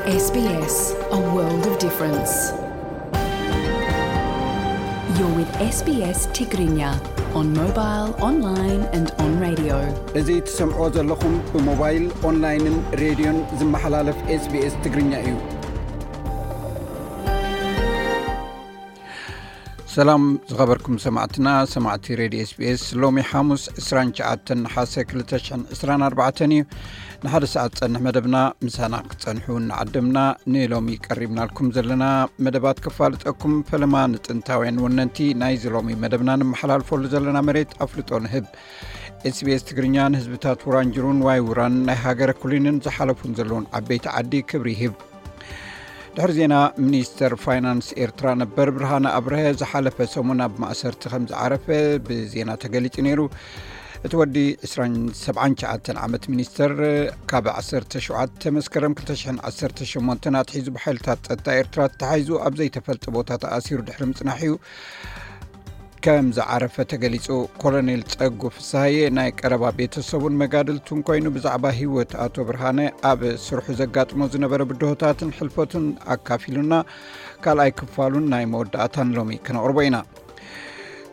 S B S, a world of difference. You're with S B S Tigrinya on mobile, online and on radio. እዚ ትሰምዕዎ ዘለኹም ብሞባይል፣ ኦንላይንን ሬድዮን ዝመሓላለፍ S B S ትግርኛ እዩ። ሰላም ዝኸበርኩም ሰማዕትና፣ ሰማዕቲ ሬድዮ S B S፣ ሎሚ ሓሙስ ዕስራን ትሽዓተን ነሓሰ ክልተ ሽሕን ዕስራን ኣርባዕተን እዩ። ንሓደ ሰዓት ዝጸንሕ መደብና ምሳና ክትጸንሑ እናዓደምና፣ ንሎሚ ቀሪብናልኩም ዘለና መደባት ከፋልጠኩም፣ ፈለማ ንጥንታውያን ወነንቲ ናይዚ ሎሚ መደብና ንመሓላልፈሉ ዘለና መሬት ኣፍልጦ ንህብ። S B S ትግርኛ ንህዝብታት ውራንጅሩን ዋይ ውራን ናይ ሃገረ ኩሊንን ዝሓለፉን ዘለውን ዓበይቲ ዓዲ ክብሪ ይህብ። ድሕሪ ዜና፣ ሚኒስተር ፋይናንስ ኤርትራ ነበር ብርሃነ ኣብርሀ ዝሓለፈ ሰሙን ኣብ ማእሰርቲ ከም ዝዓረፈ ብዜና ተገሊጹ ነይሩ። እቲ ወዲ ዕስራን ሰብዓን ትሽዓተን ዓመት ሚኒስተር ካብ ዓሰርተ ሸውዓተ መስከረም ክልተ ሽሕን ዓሰርተ ሸሞንተን ኣትሒዙ ብሓይልታት ጸጥታ ኤርትራ ተታሒዙ ኣብ ዘይተፈልጠ ቦታ ተኣሲሩ ድሕሪ ምጽናሕ እዩ ከም ዝዓረፈ ተገሊጹ። ኮሎኔል ጸጉ ፍስሃየ ናይ ቀረባ ቤተሰቡን መጋድልቱን ኮይኑ፣ ብዛዕባ ህይወት ኣቶ ብርሃነ፣ ኣብ ስርሑ ዘጋጥሞ ዝነበረ ብድሆታትን ሕልፈቱን ኣካፊሉና። ካልኣይ ክፋሉን ናይ መወዳእታን ሎሚ ክነቕርቦ ኢና።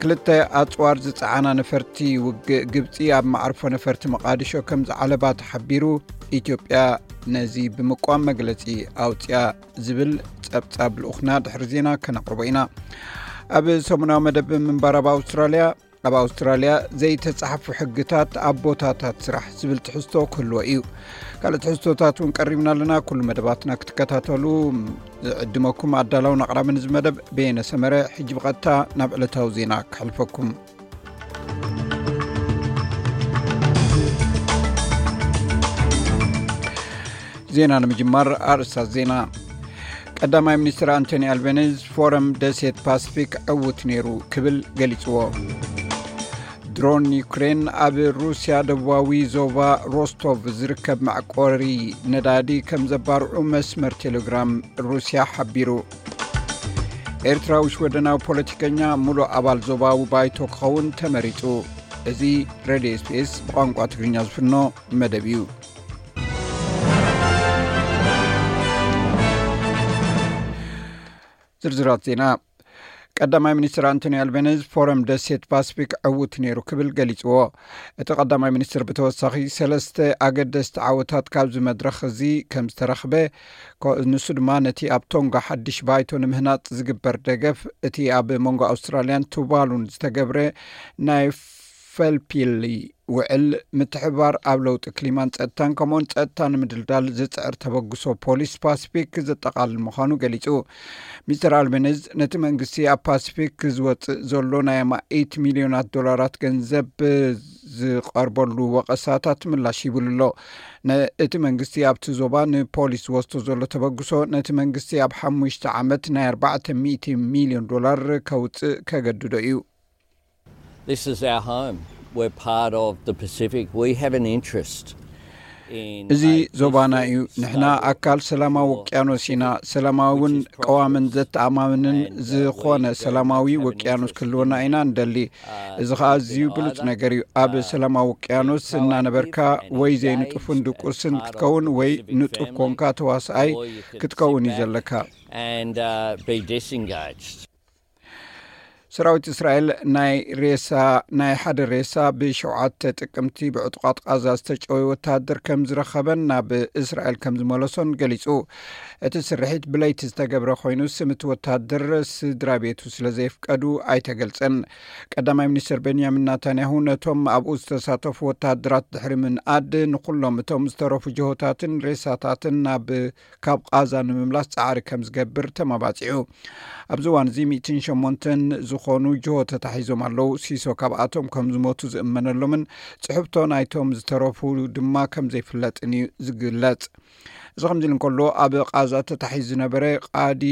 ክልተ ኣጽዋር ዝጸዓና ነፈርቲ ውግእ ግብጺ ኣብ መዓርፎ ነፈርቲ መቓዲሾ ከም ዝዓለባ ተሓቢሩ። ኢትዮጵያ ነዚ ብምቋም መግለጺ ኣውጽያ ዝብል ጸብጻብ ልኡኽና ድሕሪ ዜና ከነቕርቦ ኢና። ኣብ ሰሙናዊ መደብ ምንባር ኣብ ኣውስትራልያ፣ ኣብ ኣውስትራልያ ዘይተጻሕፉ ሕግታት ኣብ ቦታታት ስራሕ ዝብል ትሕዝቶ ክህልዎ እዩ። ካልእ ትሕዝቶታት እውን ቀሪብና ኣለና። ኩሉ መደባትና ክትከታተሉ ዝዕድመኩም ኣዳላውን ኣቕራብን እዚ መደብ በየነ ሰመረ። ሕጂ ብቐጥታ ናብ ዕለታዊ ዜና ክሕልፈኩም። ዜና ንምጅማር ኣርእስታት ዜና። ቀዳማይ ሚኒስትር ኣንቶኒ ኣልቤኒዝ ፎረም ደሴት ፓሲፊክ ዕዉት ነይሩ ክብል ገሊጽዎ። ድሮን ዩክሬን ኣብ ሩስያ ደቡባዊ ዞባ ሮስቶቭ ዝርከብ መዕቆሪ ነዳዲ ከም ዘባርዑ መስመር ቴሌግራም ሩስያ ሓቢሩ። ኤርትራዊ ሽወደናዊ ፖለቲከኛ ሙሉእ ኣባል ዞባዊ ባይቶ ክኸውን ተመሪጹ። እዚ ሬድዮ S B S ብቋንቋ ትግርኛ ዝፍኖ መደብ እዩ። ዝርዝራት ዜና። ቀዳማይ ሚኒስትር ኣንቶኒ ኣልቤኒዝ ፎረም ደሴት ፓሲፊክ ዕዉት ነይሩ ክብል ገሊጽዎ። እቲ ቀዳማይ ሚኒስትር ብተወሳኺ ሰለስተ ኣገደስቲ ዓወታት ካብዚ መድረኽ እዚ ከም ዝተረኽበ፣ ኮ-፣ ንሱ ድማ ነቲ ኣብ ቶንጋ ሓድሽ ባይቶ ንምህናጽ ዝግበር ደገፍ፣ እቲ ኣብ መንጎ ኣውስትራልያን ቱቫሉን ዝተገብረ ናይ ፈልፒሊ ውዕል፣ ምትሕብባር ኣብ ለውጢ ክሊማን ጸጥታን፣ ከምኡውን ጸጥታ ንምድልዳል ዝጽዕር ተበግሶ ፖሊስ ፓሲፊክ ዘጠቓልል ምዃኑ ገሊጹ። ሚስተር ኣልቤኒዝ ነቲ መንግስቲ ኣብ ፓሲፊክ ዝወጽእ ዘሎ ናይ ኣማኢት ሚልዮናት ዶላራት ገንዘብ ዝቐርበሉ ወቐሳታት ምላሽ ይብሉ ኣሎ። ነ-፣ እቲ መንግስቲ ኣብቲ ዞባ ንፖሊስ ዝወስዶ ዘሎ ተበግሶ ነቲ መንግስቲ ኣብ ሓሙሽተ ዓመት ናይ ኣርባዕተ ሚእቲ ሚልዮን ዶላር ከውጽእ ከገድዶ እዩ። This is our home. We're part of the Pacific. We have an interest in እዚ a ዞባና እዩ። peaceful, ንሕና stable ኣካል ሰላማዊ ውቅያኖስ ኢና። ሰላማዊን ቀዋምን ዘተኣማምንን ዝኾነ ሰላማዊ ውቅያኖስ ክህልወና ኢና እንደሊ። እዚ ኸኣ ኣዝዩ ብሉጽ ነገር እዩ። ኣብ ሰላማዊ ውቅያኖስ እናነበርካ ወይ ዘይንጡፍን ድቁስን ክትከውን ወይ ንጡፍ ኮንካ ተዋስኣይ ክትከውን እዩ ዘለካ። And uh, be disengaged. ሰራዊት እስራኤል ናይ ሬሳ፣ ናይ ሓደ ሬሳ ብሸውዓተ ጥቅምቲ ብዕጡቓት ቃዛ ዝተጨወየ ወተሃደር ከም ዝረኸበን ናብ እስራኤል ከም ዝመለሶን ገሊጹ። እቲ ስርሒት ብለይቲ ዝተገብረ ኮይኑ፣ ስም እቲ ወተሃደር ስድራ ቤቱ ስለ ዘየፍቀዱ ኣይተገልጸን። ቀዳማይ ሚኒስትር ቤንያሚን ናታንያሁ ነቶም ኣብኡ ዝተሳተፉ ወተሃደራት ድሕሪ ምንኣድ፣ ንኹሎም እቶም ዝተረፉ ጅሆታትን ሬሳታትን ናብ ካብ ቃዛ ንምምላስ ጻዕሪ ከም ዝገብር ተማባጺዑ። ኣብዚ እዋን እዚ ሚእትን ሸሞንተን ዝኾኑ ጅሆ ተታሒዞም ኣለዉ። ሲሶ ካብኣቶም ከም ዝሞቱ ዝእመነሎምን ጽሕብቶ ናይቶም ዝተረፉ ድማ ከም ዘይፍለጥን እዩ ዝግለጽ። እዚ ከምዚ ኢሉ እንከሎ፣ ኣብ ቃዛ ተታሒዙ ዝነበረ ቃዲ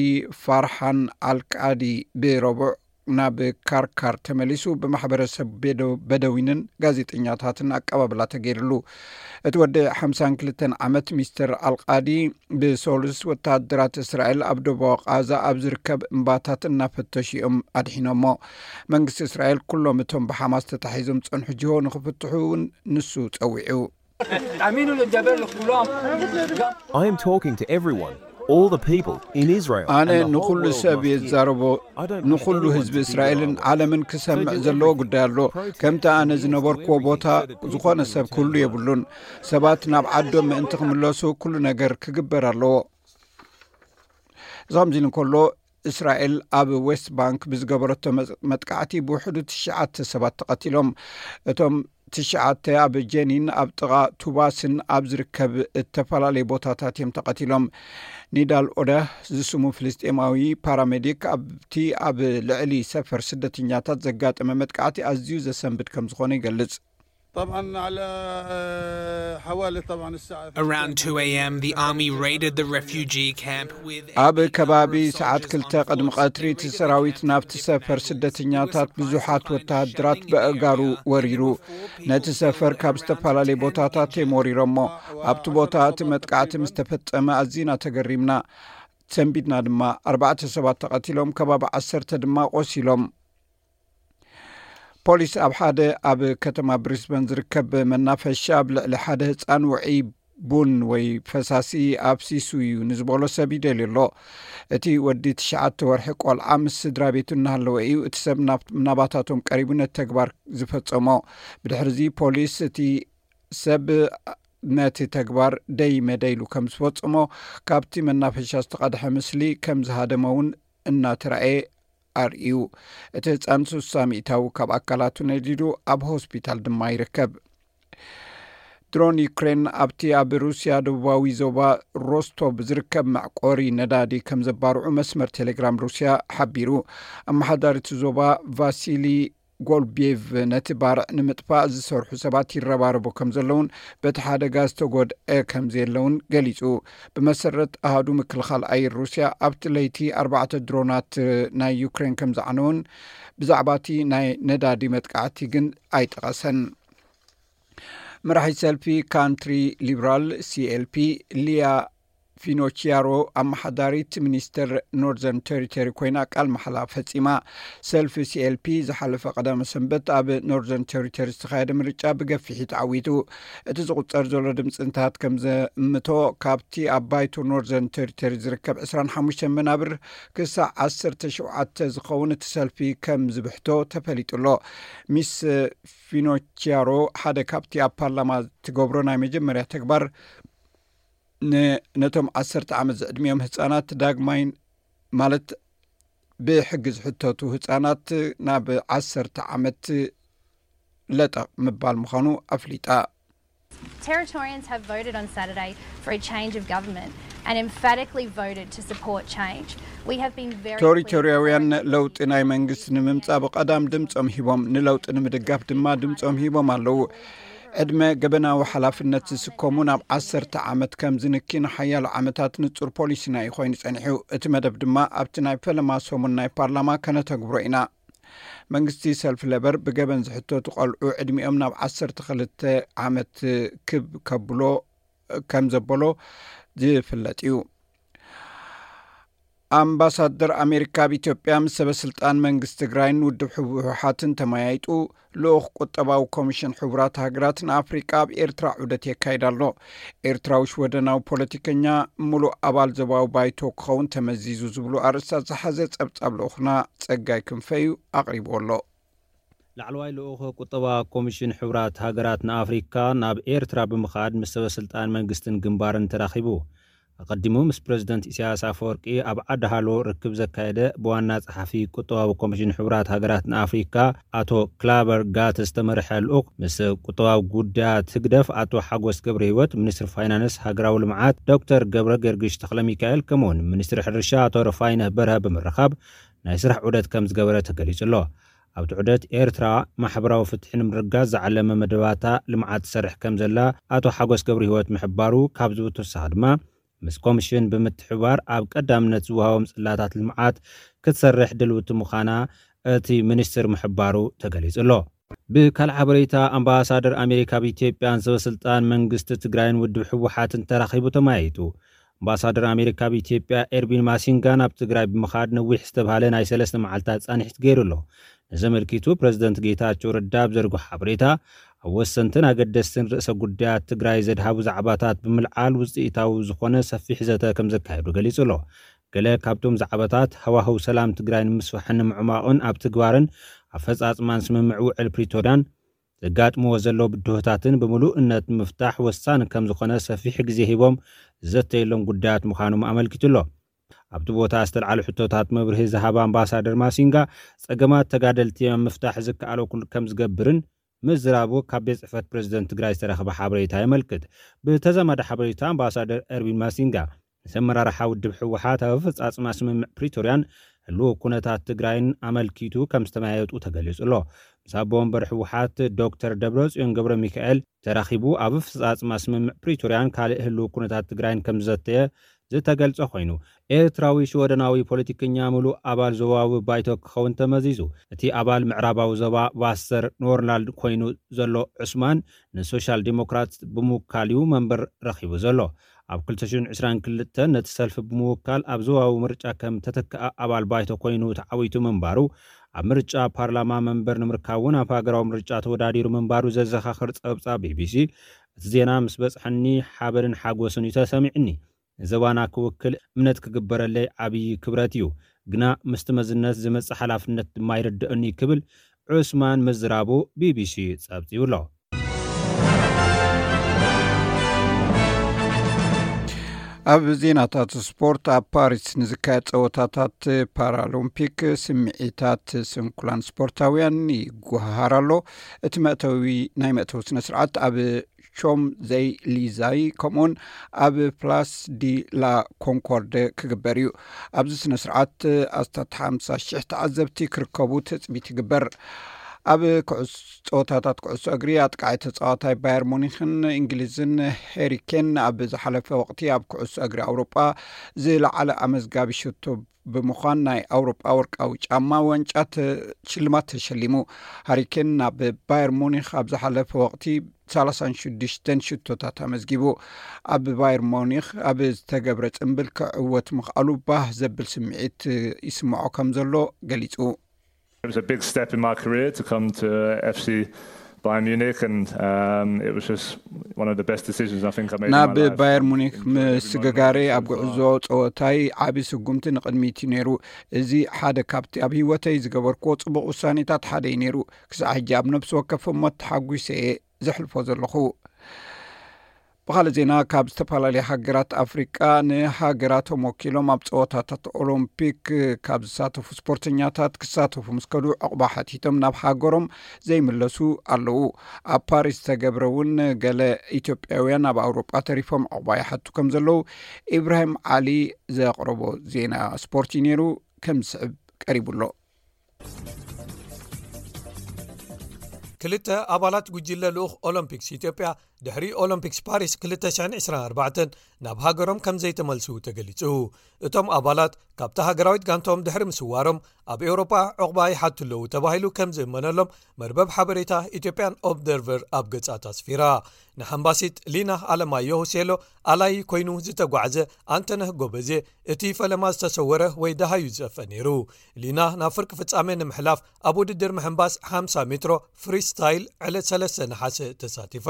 ፋርሓን ኣልቃዲ ብረቡዕ ናብ ካርካር ተመሊሱ ብማሕበረሰብ ቤዶ-፣ በደዊንን ጋዜጠኛታትን ኣቀባብላ ተገይርሉ። እቲ ወዲ ሓምሳን ክልተን ዓመት ሚስተር ኣልቃዲ ብሶሉስ ወተሃደራት እስራኤል ኣብ ደቡባዊ ቃዛ ኣብ ዝርከብ እምባታት እናፈተሹ እዮም ኣድሒኖሞ። መንግስቲ እስራኤል ኩሎም እቶም ብሓማስ ተታሒዞም ዝጸንሑ ጅሆ ንኽፍትሑ እውን ንሱ ጸዊዑ። I am talking to everyone. all the people in Israel. ኣነ ንኹሉ ሰብ የዛረቦ። ንኹሉ ህዝቢ እስራኤልን ዓለምን ክሰምዕ ዘለዎ ጉዳይ ኣሎ። ከምቲ ኣነ ዝነበርኩዎ ቦታ ዝኾነ ሰብ ክህሉ የብሉን። ሰባት ናብ ዓዶም ምእንቲ ክምለሱ ኩሉ ነገር ክግበር ኣለዎ። እዚ ከምዚ ኢሉ እንከሎ፣ እስራኤል ኣብ ዌስት ባንክ ብዝገበረቶ መ- መጥቃዕቲ ብውሕዱ ትሽዓተ ሰባት ተቐቲሎም። እቶም ትሽዓተ ኣብ ጀኒን ኣብ ጥቓ ቱባስን ኣብ ዝርከብ እተፈላለየ ቦታታት እዮም ተቐቲሎም። ኒዳል ኦደህ ዝስሙ ፍልስጤማዊ ፓራሜዲክ ኣብቲ ኣብ ልዕሊ ሰፈር ስደተኛታት ዘጋጠመ መጥቃዕቲ ኣዝዩ ዘሰንብድ ከም ዝኾነ ይገልጽ። طبعا على حوالي طبعا الساعة Around two a.m., the army raided the refugee camp with ኣብ ከባቢ ሰዓት ክልተ ቅድሚ ቀትሪ እቲ ሰራዊት ናብቲ ሰፈር ስደተኛታት ብዙሓት ወተሃደራት በእጋሩ ወሪሩ። ነቲ ሰፈር ካብ ዝተፈላለየ ቦታታት እዮም ወሪሮሞ። ኣብቲ ቦታ እቲ መጥቃዕቲ ምስ ተፈጸመ ኣዚና ተገሪምና፣ ሰንቢድና ድማ። ኣርባዕተ ሰባት ተቐቲሎም፣ ከባቢ ዓሰርተ ድማ ቆሲሎም። ፖሊስ ኣብ ሓደ ኣብ ከተማ ብሪስበን ዝርከብ መናፈሻ ኣብ ልዕሊ ሓደ ህፃን ውዑይ ቡን ወይ ፈሳሲ ኣፍሲሱ እዩ ንዝበሎ ሰብ ይደልዩ ኣሎ። እቲ ወዲ ትሽዓተ ወርሒ ቆልዓ ምስ ስድራ ቤቱ እናሃለወ እዩ እቲ ሰብ ናብ ናባታቶም ቀሪቡ ነቲ ተግባር ዝፈጸሞ። ብድሕርዚ ፖሊስ እቲ ሰብ ነቲ ተግባር ደይ መደይሉ ከም ዝፈጸሞ፣ ካብቲ መናፈሻ ዝተቐድሐ ምስሊ ከም ዝሃደመ እውን እናተራእየ ኣርእዩ። እቲ ህፃን ስሳ ሚእታዊ ካብ ኣካላቱ ነዲዱ ኣብ ሆስፒታል ድማ ይርከብ። ድሮን ዩክሬን ኣብቲ ኣብ ሩስያ ደቡባዊ ዞባ ሮስቶቭ ዝርከብ መዕቆሪ ነዳዲ ከም ዘባርዑ መስመር ቴሌግራም ሩስያ ሓቢሩ። ኣመሓዳሪ እቲ ዞባ ቫሲሊ ጎልቤቭ ነቲ ባርዕ ንምጥፋእ ዝሰርሑ ሰባት ይረባረቡ ከም ዘለውን በቲ ሓደጋ ዝተጎድአ ከም ዘየለውን ገሊጹ። ብመሰረት ኣሃዱ ምክልኻል ኣየር ሩስያ ኣብቲ ለይቲ ኣርባዕተ ድሮናት ናይ ዩክሬን ከም ዝዓነውን ብዛዕባ እቲ ናይ ነዳዲ መጥቃዕቲ ግን ኣይጠቐሰን። መራሒ ሰልፊ ካንትሪ ሊብራል ሲኤልፒ ሊያ ፊኖቺያሮ ኣመሓዳሪት ሚኒስተር ኖርዘርን ቴሪቶሪ ኮይና ቃል መሓላ ፈጺማ። ሰልፊ ሲኤልፒ ዝሓለፈ ቀዳመ ሰንበት ኣብ ኖርዘርን ቴሪቶሪ ዝተኻየደ ምርጫ ብገፊሕ ተዓዊቱ። እቲ ዝቑጸር ዘሎ ድምፅታት ከም ዘእምቶ፣ ካብቲ ኣብ ባይቶ ኖርዘርን ቴሪቶሪ ዝርከብ ዕስራን ሓሙሽተን መናብር ክሳዕ ዓሰርተ ሸውዓተ ዝኸውን እቲ ሰልፊ ከም ዝብሕቶ ተፈሊጡ ኣሎ። ሚስ ፊኖቺያሮ ሓደ ካብቲ ኣብ ፓርላማ ትገብሮ ናይ መጀመርያ ተግባር ን- ነቶም ዓሰርተ ዓመት ዝዕድሚኦም ህፃናት ዳግማይ፣ ማለት ብሕጊ ዝሕተቱ ህፃናት ናብ ዓሰርተ ዓመት ለጠቕ ምባል ምዃኑ ኣፍሊጣ። Territorians have voted on Saturday for a change of government and emphatically voted to support change. We have been very clear. ቶሪቶርያውያን ለውጢ ናይ መንግስቲ ንምምጻእ ብቐዳም ድምጾም ሂቦም፣ ንለውጢ ንምድጋፍ ድማ ድምጾም ሂቦም ኣለዉ። ዕድመ ገበናዊ ሓላፍነት ዝስከሙ ናብ ዓሰርተ ዓመት ከም ዝንኪ ንሓያሎ ዓመታት ንጹር ፖሊሲና እዩ ኮይኑ ጸኒሑ። እቲ መደብ ድማ ኣብቲ ናይ ፈለማ ሰሙን ናይ ፓርላማ ከነተግብሮ ኢና። መንግስቲ ሰልፊ ለበር ብገበን ዝሕተቱ ቆልዑ ዕድሚኦም ናብ ዓሰርተ ክልተ ዓመት ክብ ከብሎ ከም ዘበሎ ዝፍለጥ እዩ። ኣምባሳደር ኣሜሪካ ኣብ ኢትዮጵያ ምስ ሰበ ስልጣን መንግስቲ ትግራይን ውድብ ህወሓትን ተመያይጡ። ልኡኽ ቁጠባዊ ኮሚሽን ሕቡራት ሃገራት ንኣፍሪቃ ኣብ ኤርትራ ዑደት የካይድ ኣሎ። ኤርትራዊ ሽወደናዊ ፖለቲከኛ፣ ምሉእ ኣባል ዞባዊ ባይቶ ክኸውን ተመዚዙ ዝብሉ ኣርእስታት ዝሓዘ ጸብጻብ ልኡኽና ጸጋይ ክንፈ እዩ ኣቕሪብዎ ኣሎ። ላዕለዋይ ልኡኽ ቁጠባ ኮሚሽን ሕቡራት ሃገራት ንኣፍሪካ ናብ ኤርትራ ብምኻድ ምስ ሰበ ስልጣን መንግስትን ግንባርን ተራኺቡ። ኣቐዲሙ ምስ ፕረዚደንት ኢሳያስ ኣፈወርቂ ኣብ ዓዲ ሃሎ ርክብ ዘካየደ ብዋና ጸሓፊ ቁጠባዊ ኮሚሽን ሕቡራት ሃገራት ንኣፍሪካ ኣቶ ክላበር ጋት ዝተመርሐ ልኡኽ ምስ ቁጠባዊ ጉዳያት ህግደፍ ኣቶ ሓጎስ ገብረ ህይወት፣ ሚኒስትር ፋይናንስ ሃገራዊ ልምዓት ዶክተር ገብረ ገርግሽ ተኽለ ሚካኤል ከምኡውን ሚኒስትር ሕርሻ ኣቶ ረፋይነህ በርሀ ብምርኻብ ናይ ስራሕ ዑደት ከም ዝገበረ ተገሊጹ ኣሎ። ኣብቲ ዑደት ኤርትራ ማሕበራዊ ፍትሒ ንምርጋጽ ዝዓለመ መደባታ ልምዓት ትሰርሕ ከም ዘላ ኣቶ ሓጎስ ገብረ ህይወት ምሕባሩ ካብዚ ብተወሳኺ ድማ ምስ ኮሚሽን ብምትሕብባር ኣብ ቀዳምነት ዝወሃቦም ጽላታት ልምዓት ክትሰርሕ ድልውቲ ምዃና እቲ ሚኒስትር ምሕባሩ ተገሊጹ ኣሎ። ብካልእ ሓበሬታ ኣምባሳደር ኣሜሪካ ኣብ ኢትዮጵያን ሰበ ስልጣን መንግስቲ ትግራይን ውድብ ህወሓትን ተራኺቡ ተመያይጡ። ኣምባሳደር ኣሜሪካ ኣብ ኢትዮጵያ ኤርቢን ማሲንጋ ናብ ትግራይ ብምኻድ ነዊሕ ዝተብሃለ ናይ ሰለስተ መዓልታት ጻንሒት ገይሩ ኣሎ። ነዘመልኪቱ ፕረዚደንት ጌታቸው ረዳ ኣብ ዘርግሖ ሓበሬታ ኣብ ወሰንትን ኣገደስትን ርእሰ ጉዳያት ትግራይ ዘድሃቡ ዛዕባታት ብምልዓል ውፅኢታዊ ዝኾነ ሰፊሕ ዘተ ከም ዘካየዱ ገሊጹ ኣሎ። ገለ ካብቶም ዛዕባታት ሃዋህው ሰላም ትግራይ ንምስፋሕን ንምዕማቕን ኣብ ትግባርን ኣፈፃፅማን ስምምዕ ውዕል ፕሪቶርያን ዘጋጥምዎ ዘሎ ብድሆታትን ብምሉእነት ንምፍታሕ ወሳኒ ከም ዝኾነ ሰፊሕ ግዜ ሂቦም ዝዘተየሎም ጉዳያት ምዃኖም ኣመልኪቱ ኣሎ። ኣብቲ ቦታ ዝተልዓሉ ሕቶታት መብርሂ ዝሃባ ኣምባሳደር ማሲንጋ፣ ጸገማት ተጋደልቲ ኣብ ምፍታሕ ዝከኣሎ ኩሉ ከም ዝገብርን ምዝራቡ ካብ ቤት ጽሕፈት ፕሬዝደንት ትግራይ ዝተረኸበ ሓበሬታ የመልክት። ብተዛማዲ ሓበሬታ ኣምባሳደር ኤርዊን ማሲንጋ፣ ምስ ኣመራርሓ ውድብ ህወሓት ኣብ ኣፈጻጽማ ስምምዕ ፕሪቶርያን ህልው ኩነታት ትግራይን ኣመልኪቱ ከም ዝተመያየጡ ተገሊጹ ኣሎ። ምስ ኣቦ ወንበር ህወሓት ዶክተር ደብረጽዮን ገብረ ሚካኤል ተራኺቡ ኣብ ኣፈጻጽማ ስምምዕ ፕሪቶርያን ካልእ ህልው ኩነታት ትግራይን ከም ዝዘተየ ዝተገልጸ ኮይኑ፣ ኤርትራዊ ሽወደናዊ ፖለቲከኛ ምሉእ ኣባል ዞባዊ ባይቶ ክኸውን ተመዚዙ። እቲ ኣባል ምዕራባዊ ዞባ ቫስተር ኖርላንድ ኮይኑ ዘሎ ዑስማን ንሶሻል ዲሞክራት ብምውካል እዩ መንበር ረኺቡ ዘሎ። ኣብ ክልተ ሽሕን ዕስራን ክልተን ነቲ ሰልፊ ብምውካል ኣብ ዞባዊ ምርጫ ከም ተተክኣ ኣባል ባይቶ ኮይኑ ተዓዊቱ ምንባሩ፣ ኣብ ምርጫ ፓርላማ መንበር ንምርካብ እውን ኣብ ሃገራዊ ምርጫ ተወዳዲሩ ምንባሩ ዘዘኻኽር ጸብጻብ ቢቢሲ፣ እቲ ዜና ምስ በጽሐኒ ሓበንን ሓጎስን እዩ ተሰሚዕኒ። ንዞባና ክውክል እምነት ክግበረለይ ዓብዪ ክብረት እዩ፣ ግና ምስቲ መዝነት ዝመጽእ ሓላፍነት ድማ ይርድእኒ ክብል ዑስማን ምዝራቡ ቢቢሲ ጸብጺቡ ኣሎ። ኣብ ዜናታት ስፖርት፣ ኣብ ፓሪስ ንዝካየድ ጸወታታት ፓራሎምፒክ ስምዒታት ስንኩላን ስፖርታውያን ይጓሃሃር ኣሎ። እቲ መእተዊ ናይ መእተዊ ስነ ስርዓት ኣብ ሾም ዘይ ሊዛይ ከምኡውን ኣብ ፕላስ ዲ ላ ኮንኮርድ ክግበር እዩ። ኣብዚ ስነ ስርዓት ኣስታት ሓምሳ ሽሕ ተዓዘብቲ ክርከቡ ትፅቢት ይግበር። ኣብ ጸወታታት ኩዕሶ እግሪ ኣጥቃዒ ተጻዋታይ ባየር ሙኒክን እንግሊዝን ሄሪኬን ኣብ ዝሓለፈ ወቕቲ ኣብ ኩዕሶ እግሪ ኣውሮጳ ዝለዓለ ኣመዝጋቢ ሽቶ ብምዃን ናይ ኣውሮጳ ወርቃዊ ጫማ ዋንጫ ሽልማት ተሸሊሙ። ሃሪኬን ናብ ባየር ሙኒክ ኣብ ዝሓለፈ ወቕቲ ሰላሳን ሽዱሽተን ሽቶታት ኣመዝጊቡ። ኣብ ባየር ሙኒክ ኣብ ዝተገብረ ጽምብል ክዕወት ምኽኣሉ ባህ ዘብል ስምዒት ይስምዖ ከም ዘሎ ገሊጹ። It was a big step in my career to come to FC Bayern Munich, and um, it was just one of the best decisions I think I made in my ናብ life. ባየር ሙኒክ ምስግጋረይ ኣብ ጉዕዞ ጸወታይ ዓቢ ስጉምቲ ንቕድሚት እዩ ነይሩ። እዚ ሓደ ካብቲ ኣብ ህይወተይ ዝገበርክዎ ጽቡቕ ውሳኔታት ሓደ እዩ ነይሩ። ክሳዕ ሕጂ ኣብ ነፍሲ ወከፍ እሞ ተሓጒሰ እየ ዘሕልፎ ዘለኹ። ብኻልእ ዜና፣ ካብ ዝተፈላለያ ሃገራት ኣፍሪቃ ንሃገራቶም ወኪሎም ኣብ ጸወታታት ኦሎምፒክ ካብ ዝሳተፉ ስፖርተኛታት ክሳተፉ ምስ ከዱ ዕቑባ ሓቲቶም ናብ ሃገሮም ዘይምለሱ ኣለዉ። ኣብ ፓሪስ ዝተገብረ እውን ገለ ኢትዮጵያውያን ኣብ ኣውሮጳ ተሪፎም ዕቑባ ይሓቱ ከም ዘለዉ ኢብራሂም ዓሊ ዘቕረቦ ዜና ስፖርት እዩ ነይሩ፣ ከም ዝስዕብ ቀሪቡ ኣሎ። ክልተ ኣባላት ጉጅለ ልኡኽ ኦሎምፒክስ ኢትዮጵያ ድሕሪ ኦሎምፒክስ ፓሪስ ክልተ ሽሕን ዕስራን ኣርባዕተን ናብ ሃገሮም ከም ዘይተመልሱ ተገሊጹ። እቶም ኣባላት ካብታ ሃገራዊት ጋንታኦም ድሕሪ ምስዋሮም ኣብ ኤውሮጳ ዕቑባ ይሓቱ ኣለዉ ተባሂሉ ከም ዝእመነሎም መርበብ ሓበሬታ ኢትዮጵያን ኦብዘርቨር ኣብ ገጻት ኣስፊራ። ንሓምባሲት ሊና ኣለማየሁ ሴሎ ኣላይ ኮይኑ ዝተጓዕዘ ኣንተነህ ጎበዜ እቲ ፈለማ ዝተሰወረ ወይ ደሃዩ ዝጸፈ ነይሩ። ሊና ናብ ፍርቂ ፍጻሜ ንምሕላፍ ኣብ ውድድር ምሕንባስ ሓምሳ ሜትሮ ፍሪስታይል ዕለት ሰለስተ ነሓሰ ተሳቲፋ።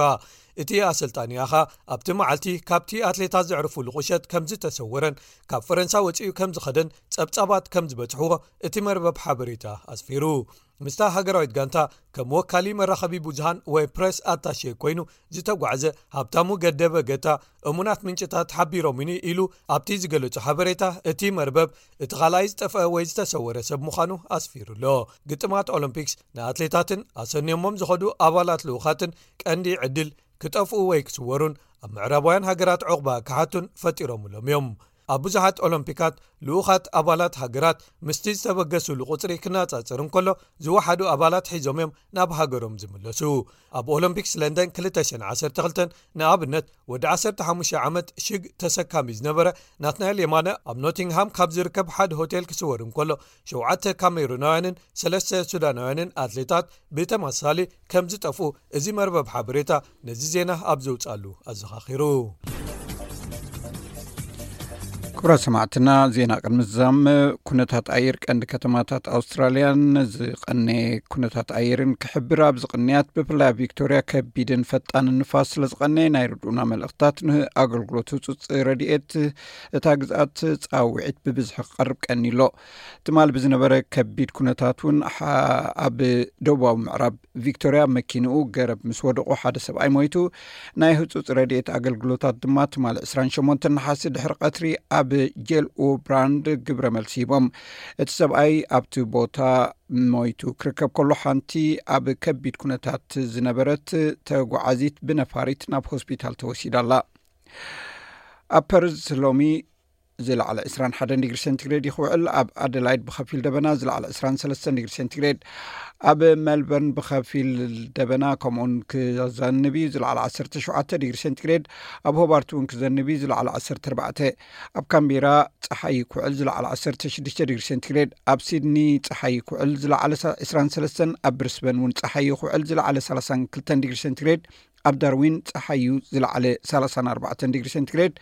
እቲ ኣሰልጣኒኣ ኸኣ ኣብቲ መዓልቲ ካብቲ ኣትሌታት ዘዕርፉሉ ቁሸት ከም ዝተሰወረን ካብ ፈረንሳ ወጺኡ ከም ዝኸደን ጸብጻባት ከም ዝበጽሕዎ እቲ መርበብ ሓበሬታ ኣስፊሩ። ምስታ ሃገራዊት ጋንታ ከም ወካሊ መራኸቢ ብዙሃን ወይ ፕረስ ኣታሼ ኮይኑ ዝተጓዕዘ ሃብታሙ ገደበ ገታ እሙናት ምንጭታት ሓቢሮምኒ ኢሉ ኣብቲ ዝገለጾ ሓበሬታ፣ እቲ መርበብ እቲ ካልኣይ ዝጠፍአ ወይ ዝተሰወረ ሰብ ምዃኑ ኣስፊሩ ኣሎ። ግጥማት ኦሎምፒክስ ንኣትሌታትን ኣሰንዮሞም ዝኸዱ ኣባላት ልኡኻትን ቀንዲ ዕድል ክጠፍኡ ወይ ክስወሩን ኣብ ምዕራባውያን ሃገራት ዕቑባ ክሓቱን ፈጢሮምሎም እዮም። ኣብ ብዙሓት ኦሎምፒካት ልኡኻት ኣባላት ሃገራት ምስቲ ዝተበገሱሉ ቁጽሪ ክነጻጸር እንከሎ ዝወሓዱ ኣባላት ሒዞም እዮም ናብ ሃገሮም ዝምለሱ። ኣብ ኦሎምፒክስ ለንደን ክልተ ሽሕን ዓሰርተ ክልተን ንኣብነት ወዲ ዓሰርተ ሓሙሽተ ዓመት ሽግ ተሰካሚ ዝነበረ ናትናኤል የማነ ኣብ ኖቲንግሃም ካብ ዝርከብ ሓደ ሆቴል ክስወር እንከሎ ሸውዓተ ካሜሩናውያንን ሰለስተ ሱዳናውያንን ኣትሌታት ብተመሳሳሊ ከም ዝጠፍኡ እዚ መርበብ ሓበሬታ ነዚ ዜና ኣብ ዘውጻሉ ኣዘኻኺሩ። ክቡራት ሰማዕትና፣ ዜና ቅድሚ ዝዛም። ኩነታት ኣየር ቀንዲ ከተማታት ኣውስትራልያን ዝቐነየ ኩነታት ኣየርን ክሕብር፣ ኣብ ዝቕንያት ብፍላይ ኣብ ቪክቶርያ ከቢድን ፈጣንን ንፋስ ስለ ዝቐነየ፣ ናይ ርድኡና መልእኽታት ንኣገልግሎት ህጹጽ ረድኤት እታ ግዝኣት ጻውዒት ብብዝሒ ክቐርብ ቀኒሎ። ትማል ብዝነበረ ከቢድ ኩነታት እውን፣ ኣብ ደቡባዊ ምዕራብ ቪክቶርያ መኪንኡ ገረብ ምስ ወደቑ ሓደ ሰብኣይ ሞይቱ። ናይ ህጹጽ ረድኤት ኣገልግሎታት ድማ ትማል ዕስራን ሸሞንተን ነሓሲ ድሕሪ ቀትሪ ኣብ ጄል ኡብራንድ ግብረ መልሲ ሂቦም። እቲ ሰብኣይ ኣብቲ ቦታ ሞይቱ ክርከብ ከሎ፣ ሓንቲ ኣብ ከቢድ ኩነታት ዝነበረት ተጓዓዚት ብነፋሪት ናብ ሆስፒታል ተወሲዳ ኣላ። ኣብ ፐርዝ ሎሚ ዝለዓለ ዕስራን ሓደን ዲግሪ ሴንቲግሬድ ይኽውዕል። ኣብ ኣደላይድ ብኸፊል ደበና ዝለዓለ ዕስራን ሰለስተን ዲግሪ ሴንቲግሬድ፣ ኣብ ሜልበርን ብኸፊል ደበና ከምኡውን ክዘንብ እዩ፣ ዝለዓለ ዓሰርተ ሸውዓተ ዲግሪ ሴንቲግሬድ። ኣብ ሆባርት እውን ክዘንብ እዩ፣ ዝለዓለ ዓሰርተ ኣርባዕተ። ኣብ ካምቤራ ጸሓይ ይኩዕል፣ ዝለዓለ ዓሰርተ ሽዱሽተ ዲግሪ ሴንቲግሬድ። ኣብ ሲድኒ ጸሓይ ይኩዕል፣ ዝለዓለ ዕስራን ሰለስተን። ኣብ ብሪስበን እውን ጸሓይ ይኩዕል፣ ዝለዓለ ሰላሳን ክልተን ዲግሪ ሴንቲግሬድ። ኣብ ዳርዊን ጸሓይ እዩ፣ ዝለዓለ ሰላሳን ኣርባዕተን ዲግሪ ሴንቲግሬድ።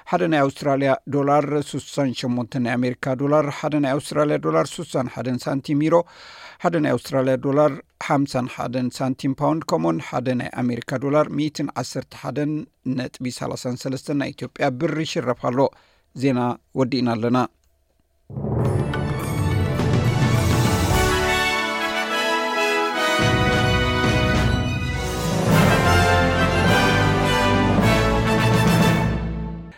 ሓደ ናይ ኣውስትራልያ ዶላር ስሳን ሸሞንተን ናይ ኣሜሪካ ዶላር፣ ሓደ ናይ ኣውስትራልያ ዶላር ስሳን ሓደን ሳንቲም ዩሮ፣ ሓደ ናይ ኣውስትራልያ ዶላር ሓምሳን ሓደን ሳንቲም ፓውንድ፣ ከምኡን ሓደ ናይ ኣሜሪካ ዶላር ሚእትን ዓሰርተ ሓደን ነጥቢ ሰላሳን ሰለስተን ናይ ኢትዮጵያ ብር ይሽረፍ ኣሎ። ዜና ወዲእና ኣለና።